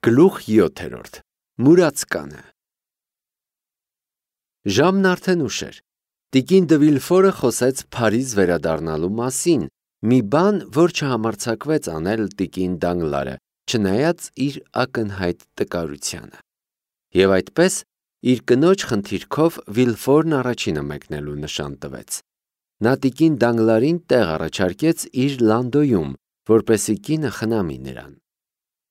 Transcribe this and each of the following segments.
Գլուխ 7. Մուրացկանը։ Ժամն արդեն ուշ էր։ Տիկին դը Վիլֆորը խոսեց Փարիզ վերադառնալու մասին, մի բան, որ չհամարձակվեց անել տիկին Դանգլարը, չնայած իր ակնհայտ տկարությանը։ Եվ այդպես, իր կնոջ խնդիրքով Վիլֆորն առաջինը մեկնելու նշան տվեց։ Նա տիկին Դանգլարին տեղ առաջարկեց իր լանդոյում, որպեսզի կինը խնամի նրան։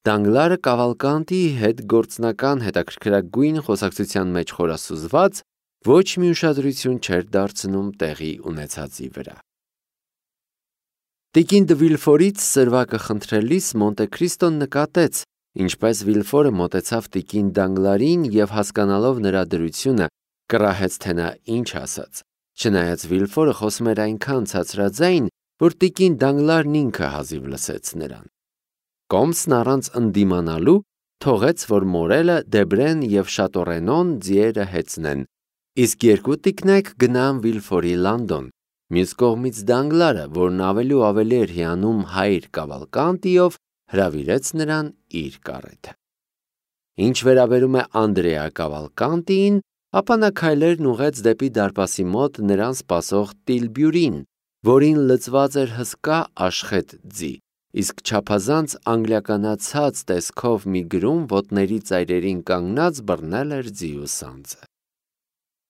Դանգլարը Կավալկանտիի հետ գործնական հետաքրքրագույն խոսակցության մեջ խորասուզված, ոչ մի ուշադրություն չէր դարձնում տեղի ունեցածի վրա։ Տիկին դը Վիլֆորից սրվակը խնդրելիս Մոնտե Քրիստոն նկատեց, ինչպես Վիլֆորը մոտեցավ տիկին Դանգլարին և հասկանալով նրա դրությունը, կռահեց, թե նա ինչ ասաց, չնայած Վիլֆորը խոսում էր այնքան ցածրաձայն, որ տիկին Դանգլարն ինքը հազիվ լսեց նրան։ Կոմսն առանց ընդդիմանալու թողեց, որ Մորելը, Դեբրեն և Շատորենոն ձիերը հեծնեն, իսկ երկու տիկնայք գնան Վիլֆորի լանդոն, մյուս կողմից Դանգլարը, որն ավելի ու ավելի էր հիանում հայր Կավալկանտիով, հրավիրեց նրան իր կարետը։ Ինչ վերաբերում է Անդրեա Կավալկանտիին, ապա նա քայլերն ուղղեց դեպի դարպասի մոտ նրան սպասող Տիլբյուրին, որին լցված էր հսկա աշխետ ձի, իսկ չափազանց անգլիականացած տեսքով մի գրում ոտների ծայրերին կանգնած բռնել էր ձիու սանձը։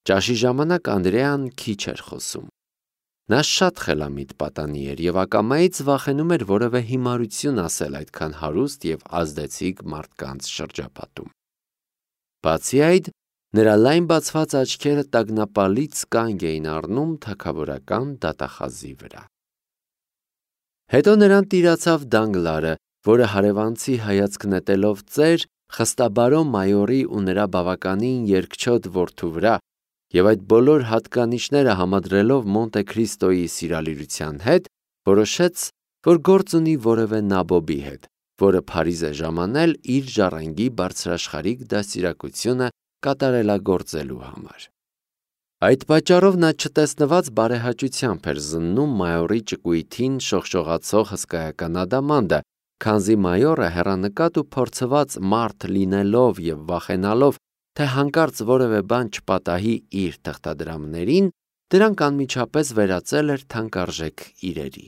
Ճաշի ժամանակ Անդրեան քիչ էր խոսում։ Նա շատ խելամիտ պատանի էր և ակամայից վախենում էր որևէ հիմարություն ասել այդքան հարուստ և ազդեցիկ մարդկանց շրջապատում։ Բացի այդ, նրա լայն բացված աչքերը տագնապալից կանգ էին առնում թագավորական դատախազի վրա։ Հետո նրան տիրացավ Դանգլարը, որը հարևանցի հայացք նետելով ծեր, խստաբարո մայորի ու նրա բավականին երկչոտ որդու վրա, և այդ բոլոր հատկանիշները համադրելով Մոնտե Քրիստոյի սիրալիրության հետ, որոշեց, որ գործ ունի որևէ նաբոբի հետ, որը Փարիզ է ժամանել իր ժառանգի բարձրաշխարհիկ դաստիարակությունը կատարելագործելու համար։ Այդ պատճառով նա չտեսնված բարեհաճությամբ էր զննում մայորի ճկույթին շողշողացող հսկայական ադամանդը, քանզի մայորը հեռանկատ ու փորձված մարդ լինելով և վախենալով, թե հանկարծ որևէ բան չպատահի իր թղթադրամներին, դրանք անմիջապես վերածել էր թանկարժեք իրերի։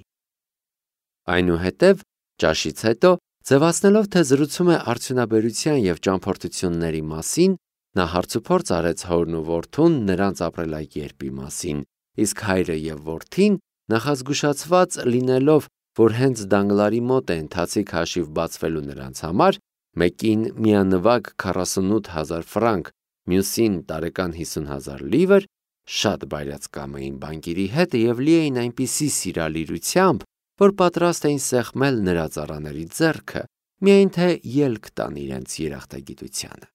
Այնուհետև, ճաշից հետո, ձևացնելով, թե զրուցում է արդյունաբերության և ճամփորդությունների մասին, նա հարցուփորձ արեց հորն ու որդուն նրանց ապրելակերպի մասին, իսկ հայրը և որդին, նախազգուշացված լինելով, որ հենց Դանգլարի մոտ է ընթացիկ հաշիվ բացվելու նրանց համար, մեկին միանվագ 48,000 ֆրանկ, մյուսին տարեկան 50,000 լիվր, շատ բայրացկամ էին բանկիրի հետ և լի էին այնպիսի սիրալիրությամբ, որ պատրաստ էին սեղմել նրա ծառաների ձեռքը, միայն թե ելք տան իրենց երախտագիտությանը։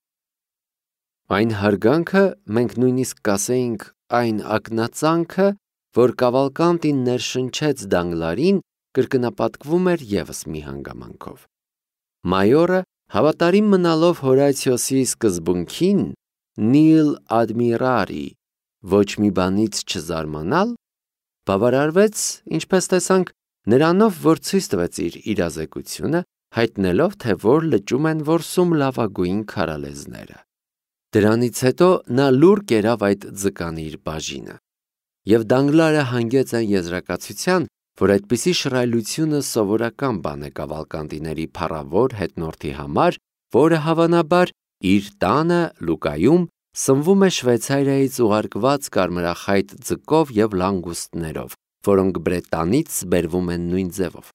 Այն հարգանքը, մենք նույնիսկ կասեինք այն ակնածանքը, որ Կավալկանտին ներշնչեց Դանգլարին, կրկնապատկվում էր ևս մի հանգամանքով։ Մայորը, հավատարիմ մնալով Հորացիոսի սկզբունքին, nil admirari, ոչ մի բանից չզարմանալ, բավարարվեց, ինչպես տեսանք, նրանով, որ ցույց տվեց իր իրազեկությունը, հայտնելով, թե որ լճում են որսում լավագույն քարալեզները։ Դրանից հետո նա լուռ կերավ այդ ձկանիր բաժինը։ Եվ Դանգլարը հանգեց այն եզրակացության, որ այդպիսի շռայլությունը սովորական բան է Կավալկանտիների փառավոր հետնորդի համար, որը հավանաբար իր տանը Լուկայում սնվում է Շվեյցարիայից ուղարկված կարմրախայտ ձկով և լանգուստներով, որոնք Բրետանից բերվում են նույն ձևով,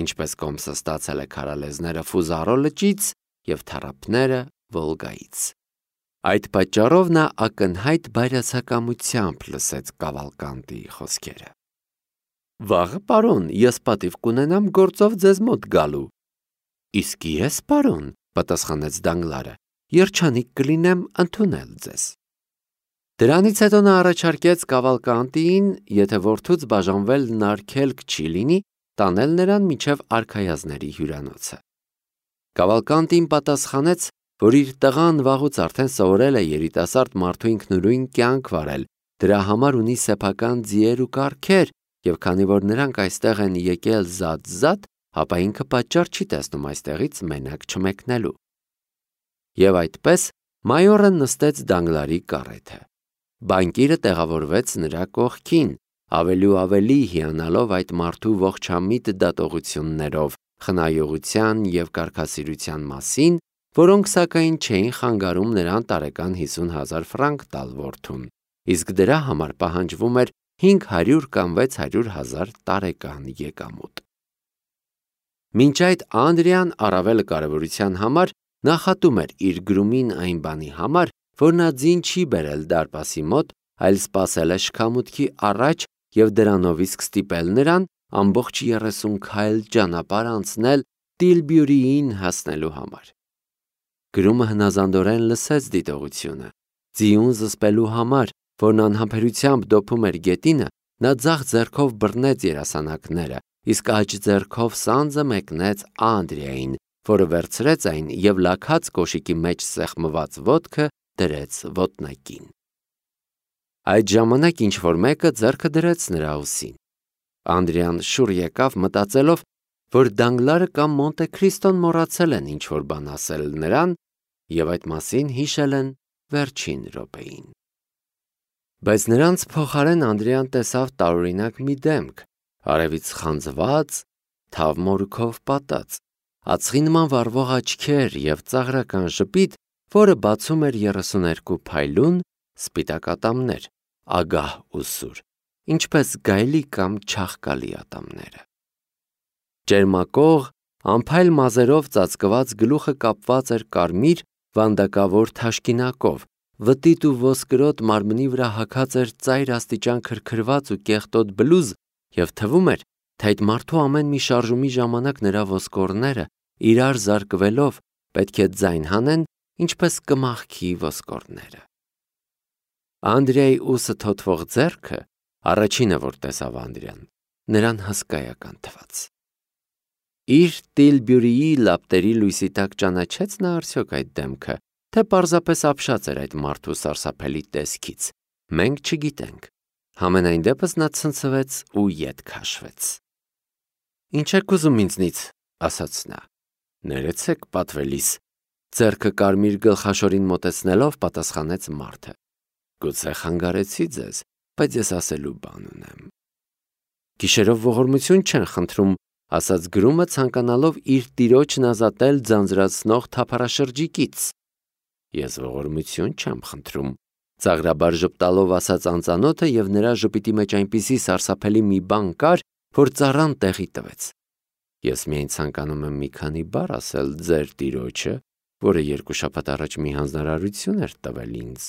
ինչպես Կոմսը ստացել է քարալեզները Ֆուզարո լճից և թառափները Վոլգայից։ Այդ պատճառով նա ակնհայտ բայրացակամությամբ լսեց Կավալկանտիի խոսքերը։ Վաղը, պարոն, ես պատիվ կունենամ գործով ձեզ մոտ գալու։ Իսկ ես, պարոն, պատասխանեց Դանգլարը, երջանիկ կլինեմ ընդունել ձեզ։ Դրանից հետո նա առաջարկեց Կավալկանտիին, եթե որդուց բաժանվել նարգելք չի լինի, տանել նրան մինչև արքայազների հյուրանոցը։ Կավալկանտին պատասխանեց, որ իր տղան վաղուց արդեն սովորել է երիտասարդ մարդու ինքնուրույն կյանք վարել, դրա համար ունի սեփական ձիեր ու կառքեր, և քանի որ նրանք այստեղ են եկել զատ-զատ, ապա ինքը պատճառ չի տեսնում այստեղից մենակ չմեկնելու։ Եվ այդպես մայորը նստեց Դանգլարի կառեթը։ Բանկիրը տեղավորվեց նրա կողքին, ավելի ու ավելի հիանալով այդ մարդու ողջամիտ դատողություններով, խնայողության և կարգասիրության մասին, որոնք սակայն չէին խանգարում նրան տարեկան 50,000 ֆրանկ տալ որդուն, իսկ դրա համար պահանջվում էր 500 կամ 600,000 տարեկան եկամուտ։ Մինչ այդ Անդրեան առավել կարևորության համար նախատում էր իր գրումին այն բանի համար, որ նա ձին չի բերել դարպասի մոտ, այլ սպասել է շքամուտքի առաջ և դրանով իսկ ստիպել նրան ամբողջ 30 քայլ ճանապարհ անցնել Տիլբյուրիին հասնելու համար։ Գրումը հնազանդորեն լսեց դիտողությունը։ Ձիուն զսպելու համար, որն անհամբերությամբ դոփում էր գետինը, նա ձախ ձեռքով բռնեց երասանակները, իսկ աջ ձեռքով սանձը մեկնեց Անդրեային, որը վերցրեց այն և լաքած կոշիկի մեջ սեղմված ոտքը դրեց ոտնակին։ Այդ ժամանակ ինչ-որ մեկը ձեռքը դրեց նրա ուսին։ Անդրեան շուռ եկավ, մտածելով, որ Դանգլարը կամ Մոնտե Քրիստոն մոռացել են ինչ-որ բան ասել նրան և այդ մասին հիշել են վերջին րոպեին։ Բայց նրանց փոխարեն Անդրեան տեսավ տարօրինակ մի դեմք, արևից խանձված, թավ մորուքով պատած, ածխի նման վառվող աչքեր և ծաղրական ժպիտ, որը բացում էր 32 փայլուն սպիտակ ատամներ, ագահ ու սուր, ինչպես գայլի կամ չաղկալի ատամները։ Ճերմակող, անփայլ մազերով ծածկված գլուխը կապված էր կարմիր վանդակավոր թաշկինակով, վտիտ ու ոսկրոտ մարմնի վրա հագած էր ծայր աստիճան քրքրված ու կեղտոտ բլուզ և թվում էր, թե այդ մարդու ամեն մի շարժումի ժամանակ նրա ոսկորները իրար զարկվելով պետք է ձայն հանեն, ինչպես կմախքի ոսկորները։ Անդրեայի ուսը թոթվող ձեռքը, առաջինը, որ տեսավ Անդրեան, նրան հսկայական թվաց։ Իր Տիլբյուրիի լապտերի լույսի տակ ճանաչեց նա արդյոք այդ դեմքը, թե պարզապես ապշած էր այդ մարդու սարսափելի տեսքից, մենք չգիտենք։ Համենայն դեպս նա ցնցվեց ու ետ քաշվեց։ «Ինչ եք ուզում ինձնից», ասաց նա։ «Ներեցեք, պատվելիս», ձեռքը կարմիր գլխաշորին մոտեցնելով պատասխանեց մարդը։ «Գուցե խանգարեցի ձեզ, բայց ես ասելու բան ունեմ»։ «Գիշերով ողորմություն չեն խնդրում», ասաց գրումը, ցանկանալով իր տիրոջն ազատել ձանձրացնող թափառաշրջիկից։ «Ես ողորմություն չեմ խնդրում», ծաղրաբար ժպտալով ասաց անծանոթը և նրա ժպիտի մեջ այնպիսի սարսափելի մի բան կար, որ ծառան տեղի տվեց։ «Ես միայն ցանկանում եմ մի քանի բառ ասել ձեր տիրոջը, որը 2 շաբաթ առաջ մի հանձնարարություն էր տվել ինձ»։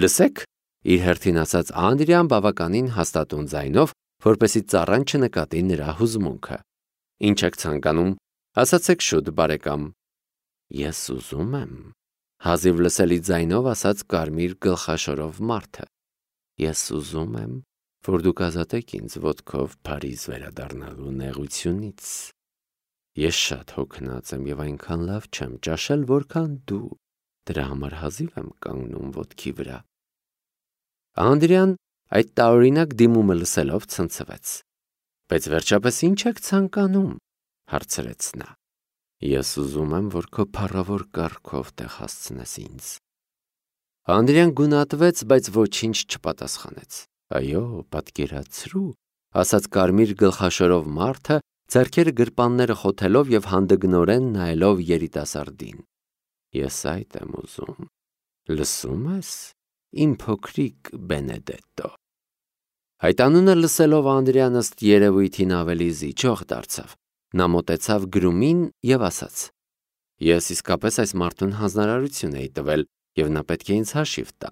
«Լսեք», իր հերթին ասաց Անդրեան բավականին հաստատուն ձայնով, որպեսզի ծառան չնկատի նրա հուզմունքը։ «Ինչ եք ցանկանում, ասացեք շուտ, բարեկամ»։ «Ես ուզում եմ», հազիվ լսելի ձայնով ասաց կարմիր գլխաշորով մարդը։ «Ես ուզում եմ, որ դուք ազատեք ինձ ոտքով Փարիզ վերադառնալու նեղությունից։ Ես շատ հոգնած եմ և այնքան լավ չեմ ճաշել, որքան դու, դրա համար հազիվ եմ կանգնում ոտքի վրա»։ Անդրեան այդ տարօրինակ դիմումը լսելով ցնցվեց։ «Բայց վերջապես ինչ եք ցանկանում», հարցրեց նա։ «Ես ուզում եմ, որ քո փառավոր կառքով տեղ հասցնես ինձ»։ Անդրեան գունատվեց, բայց ոչինչ չպատասխանեց։ «Այո, պատկերացրու», ասաց կարմիր գլխաշորով մարդը, ձեռքերը գրպանները խոթելով և հանդգնորեն նայելով երիտասարդին։ «Ես այդ եմ ուզում, լսում ես, իմ փոքրիկ Բենեդետտո»։ Այդ անունը լսելով Անդրեան ըստ երևույթին ավելի զիջող դարձավ։ Նա մոտեցավ գրումին և ասաց. «Ես իսկապես այս մարդուն հանձնարարություն էի տվել, և նա պետք է ինձ հաշիվ տա։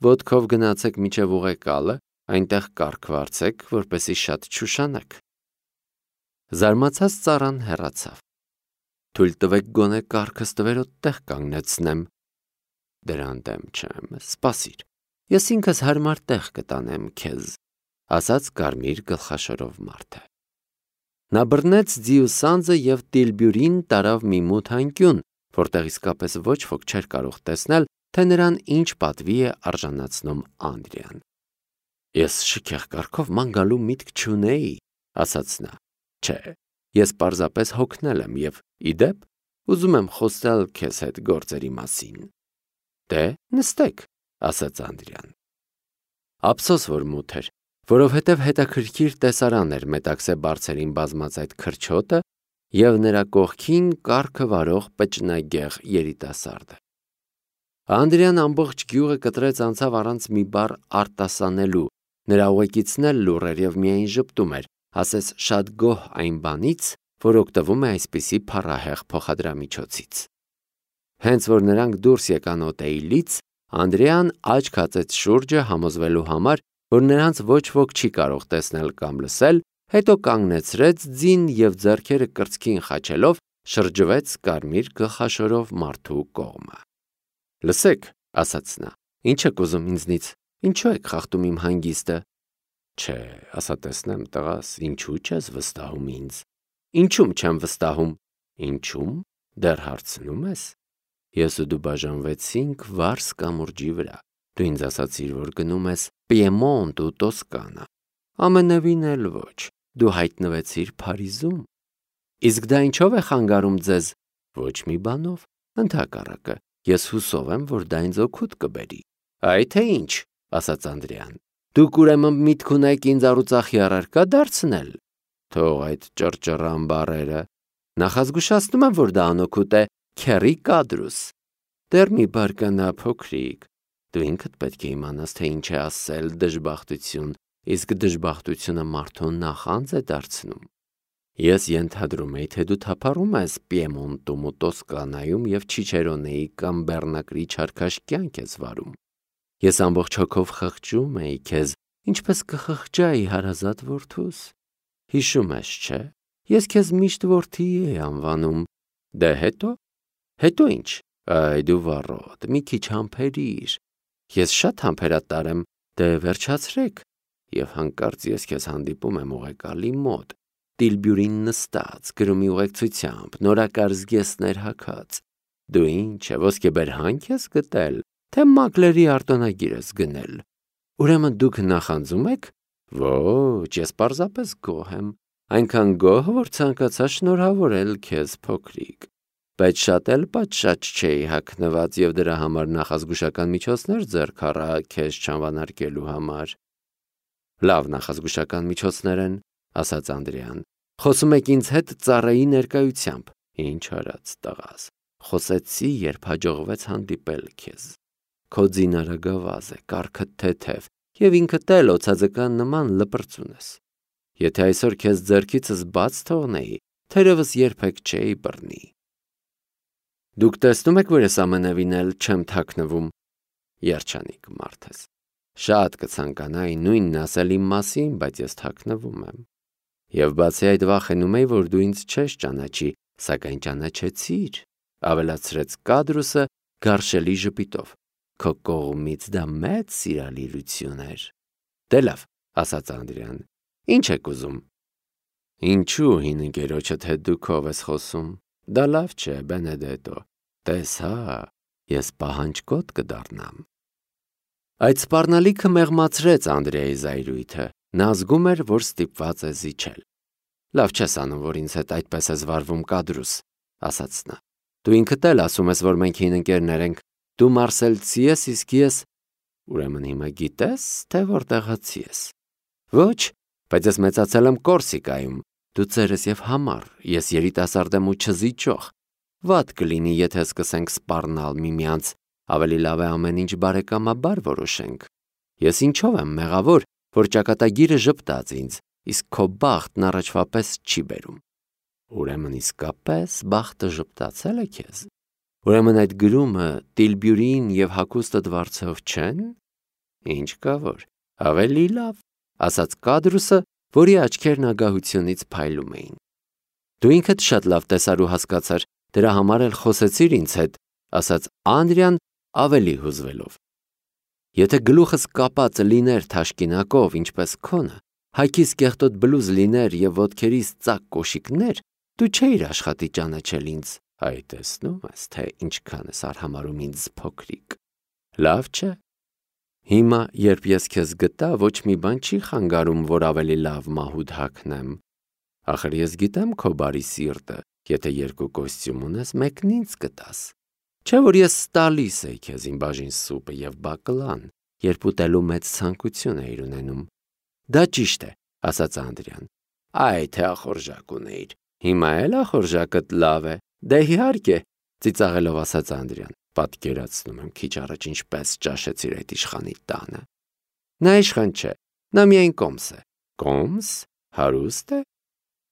Ոտքով գնացեք մինչև ուղեկալը, այնտեղ կառք վարձեք, որպեսզի շատ չուշանաք»։ Զարմացած ծառան հեռացավ։ «Թույլ տվեք գոնե կառքս տվերոտ տեղ կանգնեցնեմ»։ «Դրան դեմ չեմ, սպասիր, ես ինքս հարմար տեղ կտանեմ քեզ», ասաց կարմիր գլխաշորով մարդը։ Նա բռնեց ձիու սանձը և Տիլբյուրին տարավ մի մութ անկյուն, որտեղ իսկապես ոչ ոք չէր կարող տեսնել, թե նրան ինչ պատվի է արժանացնում Անդրեան։ «Ես շքեղ կառքով ման գալու միտք չունեի», ասաց նա։ «Չէ, ես պարզապես հոգնել եմ և, ի դեպ, ուզում եմ խոսել քեզ հետ գործերի մասին։ Դե, նստեք, ասաց Անդրեան։ Ափսոս որ մութ էր, որովհետև հետաքրքիր տեսարան էր Մետաքսե բարձերին բազմած այդ քրչոտը և նրա կողքին կառքը վարող պճնագեղ երիտասարդը։ Անդրեան ամբողջ գյուղը կտրեց անցավ առանց մի բառ արտասանելու, նրա ուղեկիցն էլ լուռ էր և միայն ժպտում էր, ասես շատ գոհ այն բանից, որ օգտվում է այսպիսի փառահեղ փոխադրամիջոցից։ Հենց որ նրանք դուրս եկան օտեիլից, Անդրեան աչք հացեց շուրջը համոզվելու համար, որ նրանց ոչ ոք չի կարող տեսնել կամ լսել, հետո կանգնեցրեց ձին և ձեռքերը կրծքին խաչելով շրջվեց կարմիր գլխաշորով մարդու կողմը։ Լսեք, ասաց նա, ինչ եք ուզում ինձնից, ինչու եք խախտում իմ հանգիստը։ Չէ, ասա տեսնեմ, տղաս, ինչու չես վստահում ինձ։ Ինչում չեմ վստահում։ Ինչում, դեռ հարցնում ես։ Ես ու դու բաժանվեցինք Վարս կամուրջի վրա։ Դու ինձ ասացիր, որ գնում ես Պիեմոնտ ու Տոսկանա։ Ամենևին էլ ոչ, դու հայտնվեցիր Փարիզում։ Իսկ դա ինչով է խանգարում ձեզ։ Ոչ մի բանով, ընդհակառակը, ես հուսով եմ, որ դա ինձ օգուտ կբերի։ Այ թե ինչ, ասաց Անդրեան։ Դուք ուրեմն միտք ունեք ինձ առուծախի առարկա դարձնել։ Թող այդ ճռճռան բառերը։ Նախազգուշացնում եմ, որ դա անօգուտ է, քեռի կադրուս։ Դեռ մի բարկանա փոքրիկ։ Դու ինքդ պետք է իմանաս, թե ինչ է ասել դժբախտություն, իսկ դժբախտությունը մարդուն նախանձ է դարձնում։ Ես ենթադրում էի, թե դու թափառում ես Պիեմոնտում ու Տոսկանայում և Չիչերոնեի կամ Բեռնակրի չարքաշ կյանք ես վարում։ Ես ամբողջ հոգով խղճում էի քեզ, ինչպես կխղճայի հարազատ որդուս։ Հիշում ես, չէ՞։ Ես քեզ միշտ որդի էի անվանում։ Դե հետո։ Հետո ինչ։ Այ դու վառոդ, մի քիչ համբերիր։ Ես շատ համբերատար եմ, դե վերջացրեք։ Եվ հանկարծ ես քեզ հանդիպում եմ ուղեկալի մոտ, Տիլբյուրին նստած, գրումի ուղեկցությամբ, նորակար զգեստներ հագած։ Դու ինչ է, ոսկեբեր հանք ես գտել, թե մակլերի արտոնագիր ես գնել։ Ուրեմն դուք նախանձում եք։ Ոչ, ես պարզապես գոհ եմ, այնքան գոհ, որ ցանկացա շնորհավորել քեզ փոքրիկ։ Բայց շատ էլ պատշաճ չէի հագնված և դրա համար նախազգուշական միջոցներ ձեռք առա քեզ չանվանարկելու համար։ Լավ նախազգուշական միջոցներ են, ասաց Անդրեան։ Խոսում եք ինձ հետ ծառայի ներկայությամբ։ Ինչ արած, տղաս։ Խոսեցի, երբ հաջողվեց հանդիպել քեզ։ Քո ձինարը գավազ է, կառքդ թեթև, և ինքդ էլ օձաձկան նման լպրծուն ես։ Եթե այսօր քեզ ձեռքիցս բաց թողնեի, թերևս երբեք չէի բռնի։ Դուք տեսնում եք, որ ես ամենևին էլ չեմ թաքնվում։ Երջանիկ մարդ ես։ Շատ կցանկանայի նույնն ասել իմ մասին, բայց ես թաքնվում եմ։ Եվ բացի այդ վախենում էի, որ դու ինձ չես ճանաչի, սակայն ճանաչեցիր, ավելացրեց կադրուսը գարշելի ժպիտով։ Քո կողմից դա մեծ սիրալիրություն էր։ Դե լավ, ասաց Անդրեան, ինչ եք ուզում։ Ինչու հին ընկերոջդ հետ դու քով ես խոսում։ Դա լավ չէ, Բենեդետո։ Տես հա, ես պահանջկոտ կդառնամ։ Այդ սպառնալիքը մեղմացրեց Անդրեայի զայրույթը։ Նա զգում էր, որ ստիպված է զիջել։ Լավ չես անում, որ ինձ հետ այդպես ես վարվում, կադրուս, ասաց նա։ Դու ինքդ էլ ասում ես, որ մենք հին ընկերներ ենք։ Դու մարսելցի ես, իսկ ես… Ուրեմն հիմա գիտես, թե որտեղացի ես։ Ոչ, բայց ես մեծացել եմ Կորսիկայում։ Դու ծեր ես և համառ, ես երիտասարդ եմ ու չզիջող։ Վատ կլինի, եթե սկսենք սպառնալ միմյանց, ավելի լավ է ամեն ինչ բարեկամաբար որոշենք։ Ես ինչով եմ մեղավոր, որ ճակատագիրը ժպտաց ինձ, իսկ քո բախտն առաջվա պես չի բերում։ Ուրեմն իսկապես բախտը ժպտացել է քեզ։ Ուրեմն այդ գրումը Տիլբյուրին և հագուստդ վարձով չեն։ Ինչ կա որ, ավելի լավ, ասաց կադրուսը, որի աչքերն ագահությունից փայլում էին։ Դու ինքդ շատ լավ տեսար ու հասկացար, դրա համար էլ խոսեցիր ինձ հետ, ասաց Անդրեան ավելի հուզվելով։ Եթե գլուխս կապած լիներ թաշկինակով, ինչպես քոնը, հայքիս կեղտոտ բլուզ լիներ և ոտքերիս ծակ կոշիկներ, դու չէիր աշխատի ճանաչել ինձ։ Այ տեսնում ես, թե ինչքան ես արհամարհում ինձ փոքրիկ։ Լավ չէ։ Հիմա, երբ ես քեզ գտա, ոչ մի բան չի խանգարում, որ ավելի լավ մահուդ հագնեմ։ Ախր ես գիտեմ քո բարի սիրտը, Եթե երկու կոստյում ունես, մեկն ինձ կտաս։ Չէ՞ որ ես տալիս էի քեզ իմ բաժին սուպը եւ բակլան, երբ ուտելու մեծ ցանկություն էիր ունենում։ Դա ճիշտ է, ասաց Անդրեան։ Այ թե ախորժակ ունեիր։ Հիմա էլ ախորժակդ լավ է։ Դե իհարկե, ծիծաղելով ասաց Անդրեան։ Պատկերացնում եմ քիչ առաջ ինչպես ճաշեցիր այդ իշխանի տանը։ Նա իշխան չէ, նա միայն կոմս է։ Կոմս? Հարուստ է։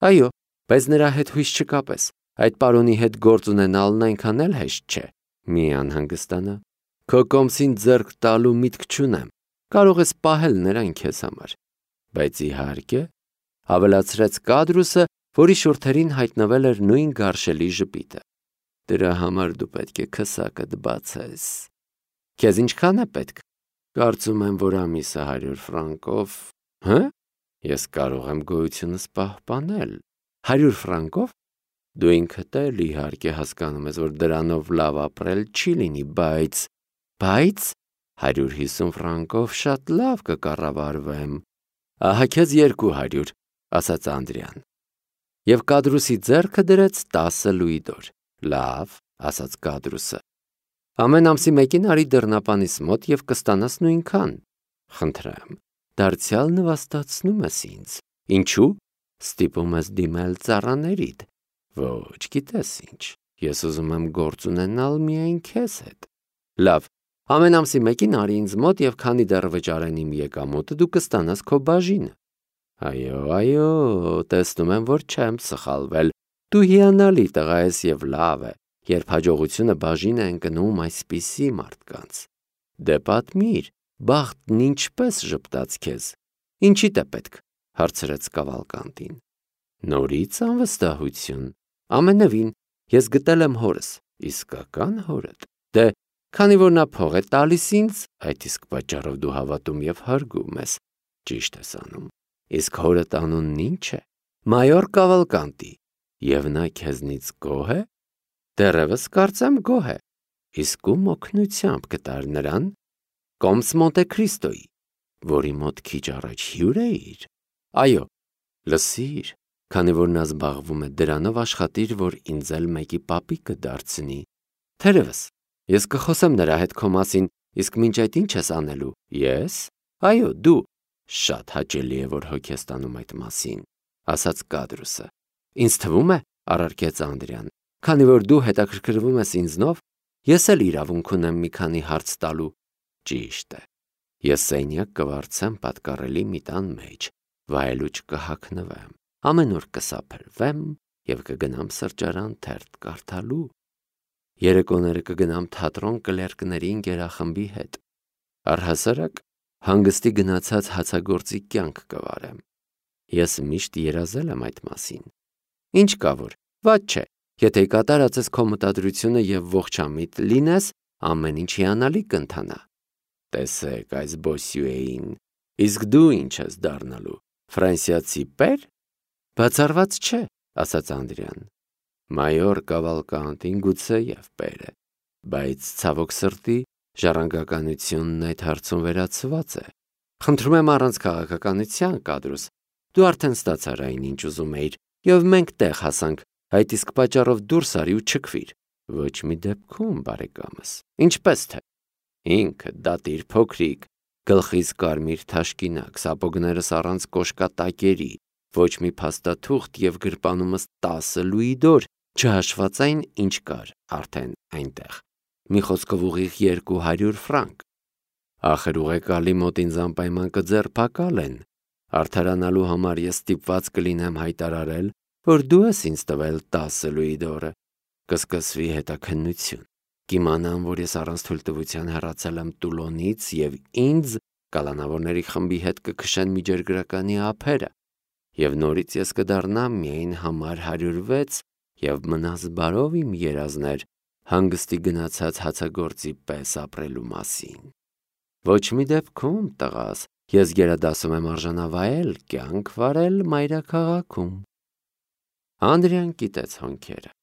Այո, բայց նրա հետ հույս չկապես։ Այդ պարոնի հետ գործ ունենալն այնքան էլ հեշտ չէ։ Մի անհանգստանա։ Քո կոմսին ձեռք տալու միտք չունեմ։ Կարող ես պահել նրան քեզ համար։ Բայց իհարկե, ավելացրեց Կադրուսը, որի շուրթերին հայտնվել էր նույն գարշելի ժպիտը։ Դրա համար դու պետք է քսակդ բացես։ Քեզ ինչքան է պետք։ Կարծում եմ, որ ամիսը 100 ֆրանկով։ Հը՞։ Ես կարող եմ գոյությունս պահպանել։ 100 ֆրանկով։ Դու ինքդ էլ իհարկե հասկանում ես, որ դրանով լավ ապրել չի լինի, բայց 150 ֆրանկով շատ լավ կկառավարվեմ։ Ահա քեզ 200, ասաց Անդրեան։ Եվ Կադրուսի ձեռքը դրեց 10 լուիդոր։ Լավ, ասաց Կադրուսը։ Ամեն ամսի մեկին արի դռնապանիս մոտ եւ կստանաս նույնքան։ Խնդրեմ, դարձյալ նվաստացնում ես ինձ։ Ինչու՞։ Ստիպում ես դիմել ծառաներիդ։ Ոչ, գիտես ինչ։ Ես ուզում եմ գործ ունենալ միայն քեզ հետ։ Լավ, ամեն ամսի մեկին արի ինձ մոտ եւ քանի դեռ վճարեն իմ եկամուտը, դու կստանաս քո բաժինը։ Այո, տեսնում եմ, որ չեմ սխալվել։ Դու հիանալի տղա ես եւ լավ է, երբ հաջողությունը բաժին է ընկնում այսպիսի մարդկանց։ Դե պատմիր, բախտն ինչպես ժպտաց քեզ։ Ինչի՞դ է պետք, հարցրեց Կավալկանտին։ Նորից անվստահություն։ Ամենևին, ես գտել եմ հորս, իսկական հորդ։ Դե, քանի որ նա փող է տալիս ինձ, այդ իսկ պատճառով դու հավատում եւ հարգում ես։ Ճիշտ ես անում։ Իսկ հորդ անունն ինչ է։ Մայոր Կավալկանտի։ Եվ նա քեզնից գոհ է։ Դեռևս կարծեմ գոհ է։ Իսկ ում օգնությամբ կտար նրան։ Կոմս Մոնտե Քրիստոյի, որի մոտ քիչ առաջ հյուր էիր։ Այո, լսիր, քանի որ նա զբաղվում է դրանով, աշխատիր, որ ինձ էլ մեկի պապիկը դարձնի։ Թերևս, ես կխոսեմ նրա հետ քո մասին, իսկ մինչ այդ ինչ ես անելու։ Ես։ Այո, դու։ Շատ հաճելի է, որ հոգ ես տանում այդ մասին, ասաց Կադրուսը։ Ինձ թվում է, առարկեց Անդրեան, քանի որ դու հետաքրքրվում ես ինձնով, ես էլ իրավունք ունեմ մի քանի հարց տալու։ Ճիշտ է։ Ես սենյակ կվարձեմ պատկառելի մի տան մեջ, վայելուչ կհագնվեմ, ամեն օր կսափրվեմ եւ կգնամ սրճարան թերթ կարդալու։ Երեկոները կգնամ թատրոն կլերկների ընկերախմբի հետ։ Առհասարակ հանգստի գնացած հացագործի կյանք կվարեմ։ Ես միշտ երազել եմ այդ մասին։ Ինչ կա որ, վատ չէ, եթե կատարած ես քո մտադրությունը եւ ողջամիտ լինես, ամեն ինչ հիանալի կընթանա։ Տեսեք այս Բոսյուեին, իսկ դու ինչ ես դառնալու, ֆրանսիացի պեր։ Բացառված չէ, ասաց Անդրեան։ Մայոր Կավալկանտին գուցե եւ պեր է, բայց ցավոք սրտի ժառանգականությունն այդ հարցում վերացված է։ Խնդրում եմ առանց քաղաքականության, Կադրուս, դու արդեն ստացար այն, ինչ ուզում էիր, եւ մենք տեղ հասանք, այդ իսկ պատճառով դուրս արի ու չքվիր։ Ոչ մի դեպքում, բարեկամս։ Ինչպես թե։ Ինքը դատիր փոքրիկ, գլխից կարմիր թաշկինակ, սապոգներս առանց կոշկատակերի, ոչ մի փաստաթուղթ եւ գրպանումս 10 լուիդոր, չհաշված այն, ինչ կար արդեն այնտեղ։ Մի խոսքով ուղիղ 200 ֆրանկ։ Ախր ուղեկալի մոտ ինձ անպայման կձերբակալ են։ Արդարանալու համար ես ստիպված կլինեմ հայտարարել, որ դու ես ինձ տվել 10 լուիդորը։ Կսկսվի հետաքննություն։ Կիմանամ, որ ես առանց թույլտվության հեռացել եմ Տուլոնից եւ ինձ կալանավորների խմբի հետ կքշեն միջերգրականի ափերը։ Եվ նորից ես կդառնամ միայն համար 106 եւ մնաս բարով իմ երազներ հանգստի գնացած հացագործի պես ապրելու մասին։ Ոչ մի դեպքում, տղաս, ես գերադասում եմ արժանավայել կյանք վարել մայրաքաղաքում։ Անդրեան կիտեց հոնքերը։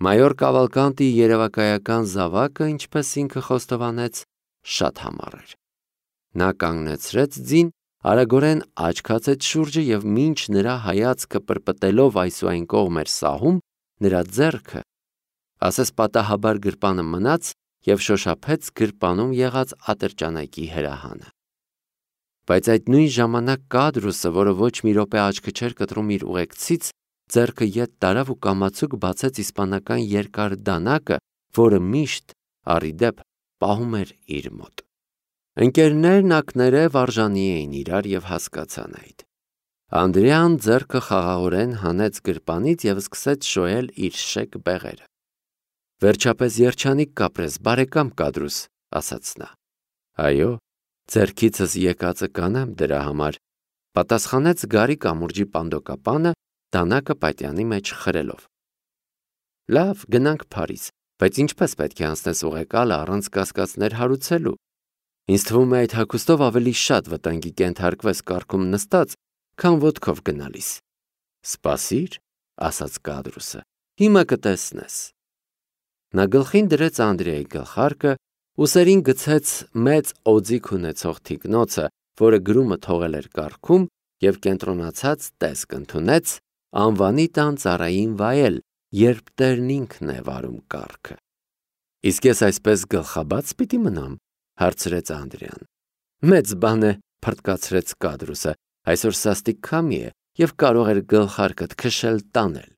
Մայոր Կավալկանտի երևակայական զավակը, ինչպես ինքը խոստովանեց, շատ համառ էր։ Նա կանգնեցրեց ձին, արագորեն աչքացեց շուրջը եւ մինչ նրա հայացքը պրպտելով այս ու այն կողմ էր սահում, նրա ձեռքը, ասես պատահաբար գրպանը մնաց և շոշափեց գրպանում եղած ատրճանակի հրահանը։ Բայց այդ նույն ժամանակ Կադրուսը, որը ոչ մի րոպե աչքը չէր կտրում իր ուղեկցից, ձեռքը ետ տարավ ու կամացուկ բացեց իսպանական երկար դանակը, որը միշտ առիդեպ պահում էր իր մոտ։ Ընկերներն ակներև արժանի էին իրար և հասկացան այդ։ Անդրեան ձեռքը խաղաղորեն հանեց գրպանից և սկսեց շոյել իր շեկ բեղերը։ Վերջապես երջանիկ կապրես, բարեկամ Կադրուս, ասաց նա։ Այո, ձեռքիցս եկածը կանեմ դրա համար, պատասխանեց գարի կամուրջի պանդոկապանը, դանակը պատյանի մեջ խրելով։ Լավ, գնանք Փարիզ, բայց ինչպես պետք է անցնես ուղեկալը առանց կասկածներ հարուցելու։ Ինձ թվում է այդ հագուստով ավելի շատ վտանգի կենթարկվես կառքում նստած, քան ոտքով գնալիս։ Սպասիր, ասաց Կադրուսը, հիմա կտեսնես։ Նա գլխին դրեց Անդրեայի գլխարկը, ուսերին գցեց մեծ օձիք ունեցող թիկնոցը, որը գրումը թողել էր կառքում, և կենտրոնացած տեսք ընդունեց անվանի տան ծառային վայել, երբ տերն ինքն է վարում կառքը։ Իսկ ես այսպես գլխաբաց պիտի մնամ, հարցրեց Անդրեան։ Մեծ բան է, փռթկացրեց Կադրուսը, այսօր սաստիկ քամի է և կարող էր գլխարկդ քշել տանել։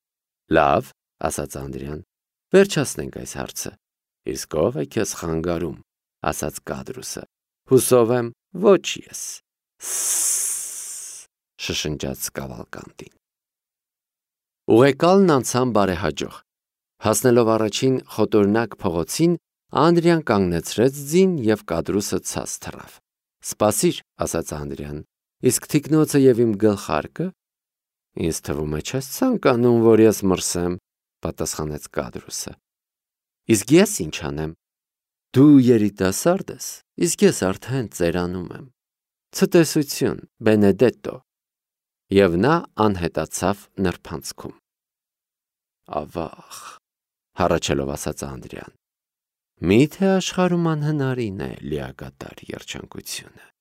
Լավ, ասաց Անդրեան, վերջացնենք այս հարցը։ Իսկ ով է քեզ խանգարում, ասաց Կադրուսը։ Հուսով եմ, ոչ ես։ Շշնջաց Կավալկանտին։ Ուղեկալն անցան բարեհաջող։ Հասնելով առաջին խոտորնակ փողոցին, Անդրեան կանգնեցրեց ձին և Կադրուսը ցած թռավ։ Սպասիր, ասաց Անդրեան, իսկ թիկնոցը և իմ գլխարկը։ Ինձ թվում է չես ցանկանում, որ ես մրսեմ, պատասխանեց Կադրուսը։ Իսկ ես ինչ անեմ։ Դու երիտասարդ ես, իսկ ես արդեն ծերանում եմ։ Ցտեսություն, Բենեդետո։ Եվ նա անհետացավ նրբանցքում։ Ավաղ, հառաչելով ասաց Անդրեան։ Միթե աշխարհում անհնարին է լիակատար երջանկությունը։